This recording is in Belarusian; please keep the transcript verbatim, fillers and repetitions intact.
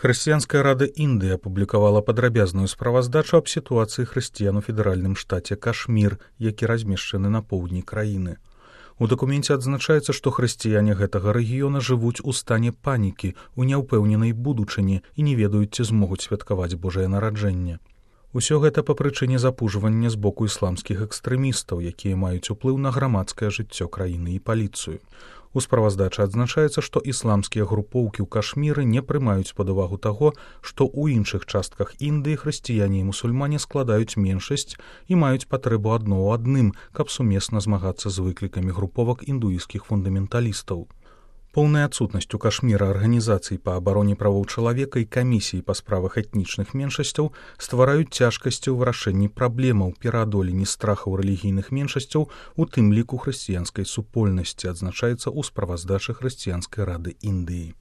Хрысціянская рада Індыі апублікавала падрабязную справаздачу аб сітуацыі хрысціян у федэральным штаце Кашмір, які размешчаны на поўдні краіны. У дакуменце адзначаецца, што хрысціяне гэтага рэгіёна жывуць у стане панікі, у няўпэўненай будучыні і не ведаюць, ці змогуць святкаваць Божае нараджэнне. Усё гэта па прычыне запужвання з боку ісламскіх экстрэмістаў, якія маюць уплыў на грамадскае жыццё краіны і паліцыю. У справаздачы адзначаецца, што ісламскія групоўкі ў Кашміры не прымаюць пад увагу таго, што ў іншых частках Індыі хрысціяне і мусульмане складаюць меншасць і маюць патрэбу адно ў адным, каб сумесна змагацца з выклікамі груповак індуісцкіх фундаменталістаў. Поўная адсутнасць у Кашміра арганізацый па абароне правоў чалавека і камісій па справах этнічных меншасцяў ствараюць цяжкасці ў вырашэнні праблемаў пераадоленні страхаў рэлігійных меншасцяў, у тым ліку хрысціянскай супольнасці, адзначаецца ў справаздачы Хрысціянскай рады Індыі.